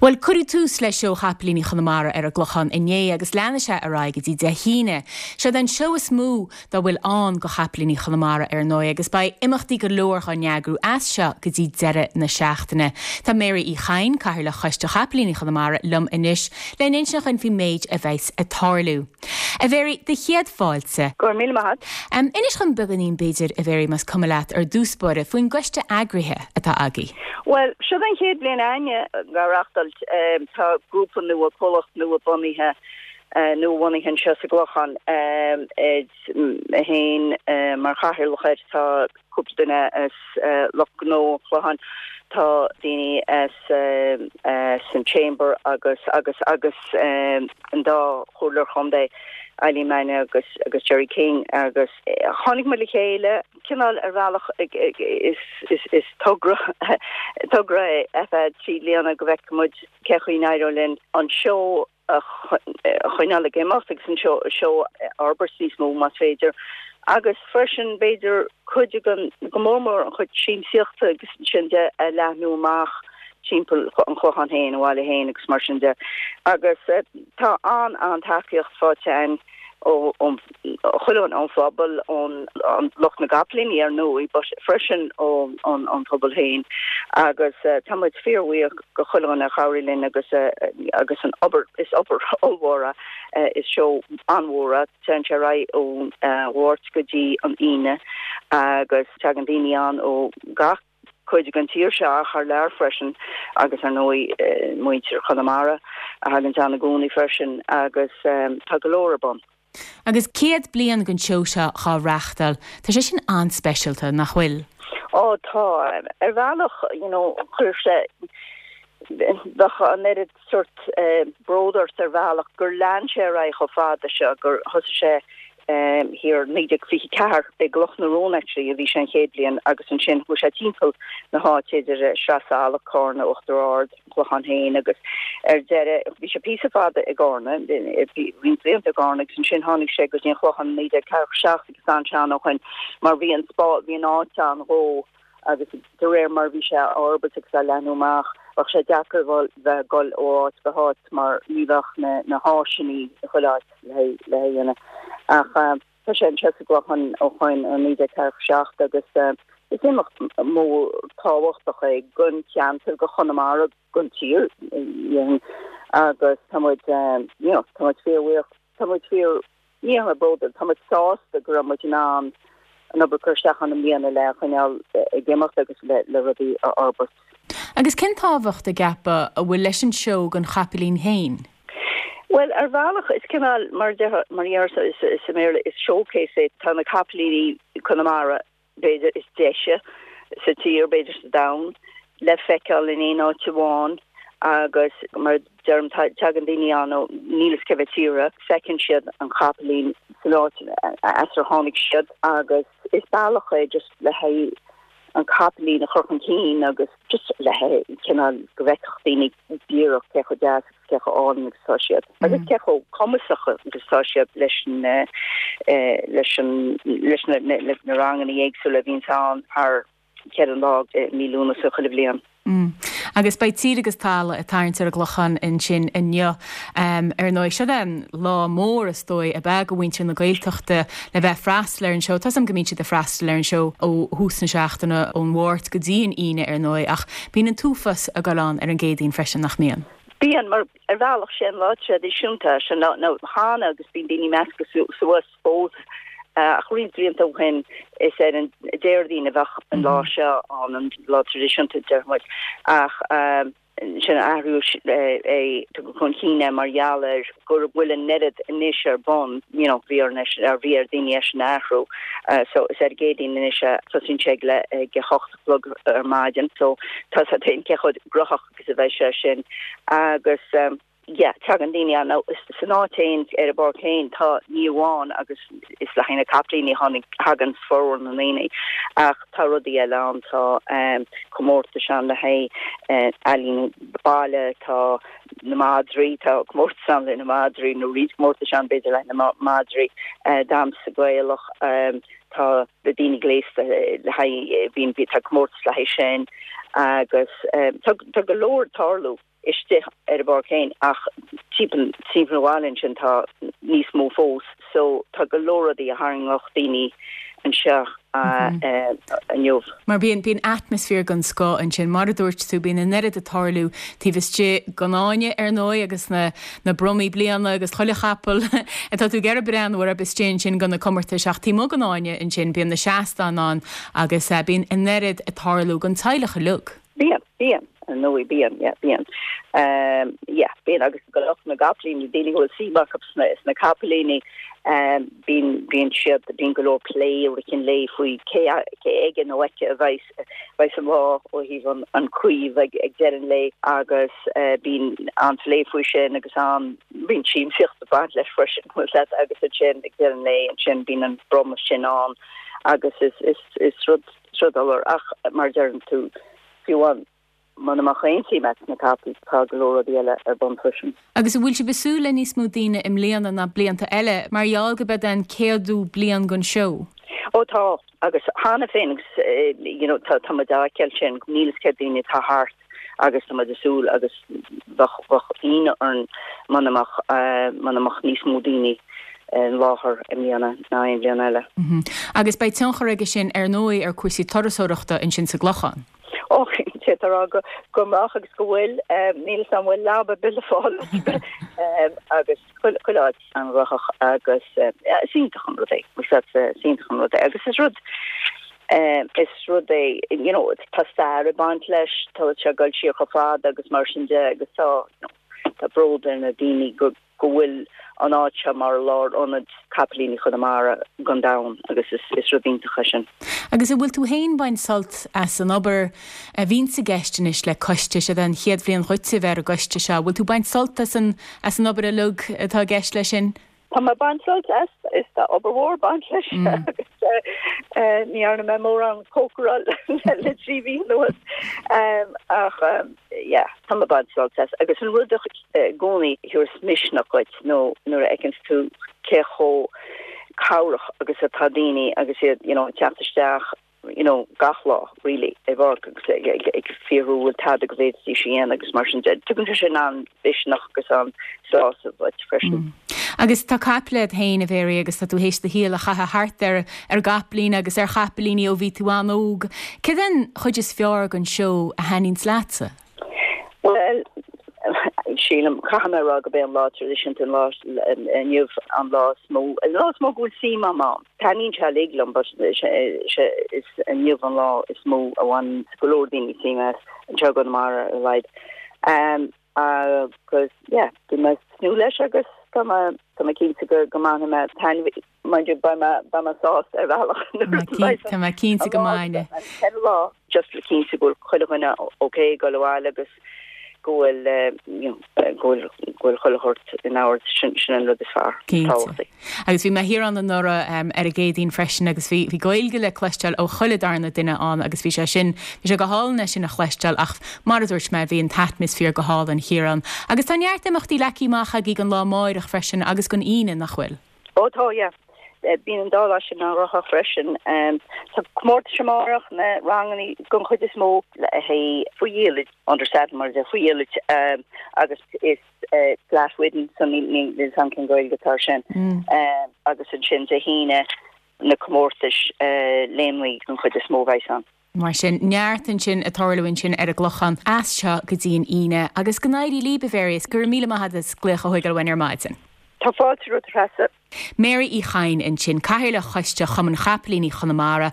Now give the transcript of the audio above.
Bhuel, cuireadh tús le Seó Chapaillíní Chonamara ar an gClochán inné agus leanfaidh sé ar aghaidh go dtí Dé hAoine. Seod é an seó is mó dá bhfuil ann go Chapaillíní Chonamara ar ndóigh agus beidh imeachtaí go leor dhá n-eagrú as seo go dtí deireadh na seachtaine. Tá Mary Uí Chadhain, Cathaoirleach Choiste Chapaillíní Chonamara, liom anois le n-insint dhuinn faoin méid a bheas ag tarlú. A Mhary, do chéad fáilte. Go raibh míle maith agat. Inis dhom beagáinín b'fhéidir, a Mhary, más cuma leat, ar dtús báire, faoin gcoiste eagraithe atá agaibh. Bhuel, seod an chéad bhliain a'inne dhá reachtáilt. Tá grúpa nua, comhlacht nua bunaithe, nua-bhunaithe anseo sa gClochán. Mé féin mar chathaoirleach air. Tá cúpla duine as lucht gnó an Chlocháin, tá daoine as an Chamber agus agus agus an dá chomhairleoir chontae, Eileen Mannion agus agus Gerry King agus tháinig muid le chéile cineál ar bhealach is togra togra é ar feadh 3 bliana go bhfeicfeadh muid cé chaoi n-éireodh linn an seó a choinneáil ag imeacht agus an seó a fhorbairt níos mó más féidir agus freisin b'fhéidir cuid den, go mór mór an chuid siamsaíochta agus sin de a leathnú amach timpeall an Chlocháin féin, an bhaile féin agus mar sin de. Agus tá an-an-tacaíocht faighte againn ó chuile dhuine, ón phobal, ón lucht na gcapaillíní ar ndóigh, but freisin ón phobal féin agus tá muid fíorbhuíoch go chuile dhuine a chabhraigh linn agus agus an obair, is obair ollmhór é, is seó an-mhór é, téann sé ar aghaidh ón Mháirt go dtí an Aoine agus tagann daoine ann ó gach cuid den tír seo ach thar lear freisin agus ar ndóigh muintir Chonamara a thagann ann i gcónaí freisin agus tá go leor ar bun. Agus 100 bliain den seó seo dhá reachtáil, tá sé sin an-speisialta, nach bhfuil? Ó tá. Ar bhealach, you know, chuir sé, bheadh an oiread sort bród ort ar bhealach gur lean sé ar aghaidh chomh fada seo, gur thosaigh sé thiar 1924 i gCloch na Rón actually a bhí sé an chéad bhliain agus ansin chuaigh sé timpeall na háite idir Sraith Salach, Cárna, Uachtar Ard, An Clochán féin agus ar deireadh bhí sé píosa fada i gCárna, roinnt blianta i gCárna agus ansin tháinig sé go dtí an Clochán i 1947 agus d'fhan sé ann ó shin mar bhí an spá, bhí an áit ann dhó agus de réir mar bhí sé á fhorbairt agus á leathnú amach, bheadh sé deacair bheith ag dul ó áit go háit mar ní bheadh na háiseanna i chuile áit le le é a dhéanamh. Ach tá sé anseo sa gClochán ó shoin ó 1947 agus is imeacht mór tábhachtach é don cheantar, go Chonamara, don tír, agus tá muid, you know, tá muid fíorbhuíoch, tá muid fíor Ní hamháin bródúil, tá muid sásta go raibh muid in ann an obair a chur isteach ann i mbliana le a choinneáil ag imeacht agus le rudaí a fhorbairt. Agus cén tábhacht, an gceapfá, a bhfuil leis an seó don chapaillín féin? Bhuel, ar bhealach, is cineál, mar a déarfá, mar a déarfá sa mBéarla, is showcase é. Tá na capaillíní Conamara b'fhéidir, is deise sa tír, b'fhéidir sa domhan, le feiceáil in aon áit amháin agus mar a deirim, tagann daoine ann ó níl fhios cé mhéad tíortha, feiceann siad an capaillín san áit as ar tháinig siad agus is bealach é just le haghaidh an capaillín a chur chun cinn agus just le haghaidh cineál go bhfeicfeadh daoine díreach cé chomh deas agus cé chomh álainn agus atá siad agus cé chomh cumasach agus atá siad leis an leis an leis na na ranganna éagsúla a bhíonns ann thar cheithre lá i mí Lúnasa chuile bhliain. Agus beidh tír agus talamh ag tarraingt ar an gClochán ansin inniu. Ar ndóigh, seo é an lá mór is dóigh ab ea go mhuintir na Gaeltachta le bheith ag freastal ar an seó. Tá 's agam go mbíonn siad ag freastal ar an seó ó thús na seachtaine, ón Mháirt go dtí an Aoine ar ndóigh, ach bíonn an t-uafás ag dul ann ar an gCéadaoin freisin, nach mbíonn? Bíonn, mar ar bhealach sé an lá traidisiúnta, sé an lá, nó cheana agus bíonn daoine measctha suas fós ach roinnt blianta ó shin is ar an Déardaoin a bheadh an lá seo ann, an lá traidisiúnta deir muid, ach sin athraíodh é, tugadh chun cinn é mar gheall ar go bhfuil an oiread anois ar bun, you know, bhí orainn é, or bhí ar daoine é sin a athrú. So is ar an gCéadaoin anois a tosaíonn sé ag le ag a hocht a chlog ar maidin, so tá 's agat féin cé chomh graitheach agus a bheidh sé sin agus yeah, tagann daoine ann. Now san áit féin, ar an bpáirc féin, tá ní amháin agus is le haghaidh na capaillíní a tháinig, thagann formhór na ndaoine ach tá rudaí eile ann, tá comórtais ann le haghaidh ealaín baile, tá na madraí, tá comórtas ann le na madraí, nó roinnt comórtais ann b'fhéidir le na madraí, damhsa Gaelach, tá na daoine gléasta le haghaidh, bíonn, tá comórtas le haghaidh sin agus tá go leor ag tarlú. istigh ar an bpáirc féin ach timpeall timpeall an bhaile ansin tá níos mó fós so tá go leor rudaí a tharraingeodh daoine anseo inniu. Mar bíonn, bíonn atmaisféar den scoth ansin. Mar a dúirt tú, bíonn an oiread ag tarlú taobh istigh den fháinne ar ndóigh agus na, na bronntaí bliana agus chuile chapall atá tú ag iarraidh breathnú orthu istigh ansin do na comórtais ach taobh amuigh den fháinne ansin bíonn na seastáin ann agus bíonn an oiread ag tarlú don teaghlach uilig. Bíonn, bíonn, ar ndóigh, bíonn, yeah, bíonn. Ehm, yeah, bíonn agus go lucht na gcapaillíní, daoine go bhfuil suim acu sna, sna capaillíní, ehm, bíonn, bíonn siad, bíonn go leor plé i rith an lae faoi cé, cé aige nó aici a bheas, bheas an lá ó thaobh an, an craobh ag, ag deireadh an lae agus eh, bíonn an-phlé faoi sin agus an, bíonn siamsaíocht ag baint leis freisin, bhfuil a fhios agat, agus ansin ag deireadh an lae ansin bíonn an bronnadh sin ann agus is, is, is rud, Rud ollmhór ach mar a deireann tú, fiú amháin muna mbeadh aon tsuim agat sna capaill, tá go leor rudaí eile ar bun freisin. Agus an bhfuil sibh ag súil le níos mó daoine i mbliana ná blianta eile mar gheall go b'eod an céadú bliain den seó? Ó tá, agus cheana féin agus you know tá tá muid á fheiceáil sin, níl a fhios cé mhéad daoine atá thart agus tá muid ag súil agus bheadh bheadh ionadh orainn muna mbeadh muna mbeadh níos mó daoine i láthair i mbliana ná aon bhliain eile. Agus beidh tionchar aige sin ar ndóigh ar cúrsaí turasóireachta ansin sa gClochán. Ó, cinnte, tá rá go go mbeadh agus go bhfuil, níl a fhios agam an bhfuil leaba ar bith le fáil agus chuile áit an-ghnóthach agus is iontach an rud é, is iontach an rud é agus is rud is rud é, you know, tá stair ag baint leis, tá sé ag dul siar chomh fada agus mar sin de agus tá, you know, tá bród ar na daoine go go bhfuil an áit seo mar lárionad capaillíní Chonamara don domhan agus is rud iontach é sin. Agus an bhfuil tú féin ag baint sult as an obair a bhíonns i gceist anois le coiste, siod é an chéad bhliain dhuitse a bheith ar an gcoiste seo, an bhfuil tú ag baint sult as an as an obair uilig atá i gceist leis sin? Tá mé ag baint sult as, is tá obair mhór ag baint leis agus ní dhearna mé mórán cócaráil le 3 mhí anuas ach yeah, tá mé ag baint sult as agus an rud i gcónaí a thabharfas misneach dhuit nó nuair a fheiceanns tú cé chomh cabhrach agus atá daoine agus iad you know ag teacht isteach you know gach lá really ar an bpáirc agus ag ag ag fiafraí an bhfuil tada go bhféadfaidís a dhéanamh agus mar sin de. Tugann sé sin an-mhisneach agus an-sásamh duit freisin. Agus tá caiple agat féin, a Mhary, agus tá tú théis do shaol a chaitheamh thart ar ar gcapaillíní agus ar chapaillíní ó bhí tú an-óg. Céard é an chuid is fearr den seó a thaitníonns leatsa? Bhuel, sílim, caithfidh mé a rá gurb é an lá traidisiúnta an lá inniu an lá is mó, an lá is mó go bhfuil suim agam ann. Taitníonn sé uilig liom but is inniu an lá is mó a bhaineann go leor daoine suim as, anseo i gConamara ar a laghad. Agus yeah, bhí mé ag tnúth leis agus tá mé, tá mé cinnte go, go mbainfidh mé taitneamh, mind you, beidh mé, beidh mé sásta ar bhealach nuair a bheidh Tá mé cinnte go mbainfidh. an ceithre lá just le cinntiú go bhfuil chuile dhuine ok ag dul abhaile agus go bhfuil you know go bhfuil go bhfuil chuile shórt in ord, sin sin an rud is fearr, is tábhachtaí. Agus bhí mé thiar ann anuraidh ar an gCéadaoin freisin agus bhí bhí Gaeilge le cloisteáil ó chuile darna duine ann agus bhí sé sin, bhí sé go hálainn é sin a chloisteáil ach mar a dúirt mé bhí an t-atmaisféar go hálainn thiar ann. Agus tá neart imeachtaí leagtha amach agaibh don lá amáireach freisin agus don Aoine, nach bhfuil? Ó tá, yeah. Bíonn an dá lá sin an-ghnóthach freisin. Tá comórtais amárach, na ranganna den chuid is mó le haghaidh faoi dhiallaid, under saddle mar a deir, faoi dhiallaid agus is flat ridden so níl a fhios agam cén Gaeilge atá air sin. Agus ansin Dé hAoine na comórtais léimní den chuid is mó a bheas ann. Mar sin, neart ansin ag tarlú ansin ar an gClochán as seo go dtí an Aoine agus go n-éirí libh, a Mhary, is go raibh míle maith agat as glaoch a thóigeáil uainn ar maidin. Tá fáilte romhat, a Threasa. Mary Uí Chadhain ansin, Cathaoirleach Choiste Chumann Chapaillíní Chonamara.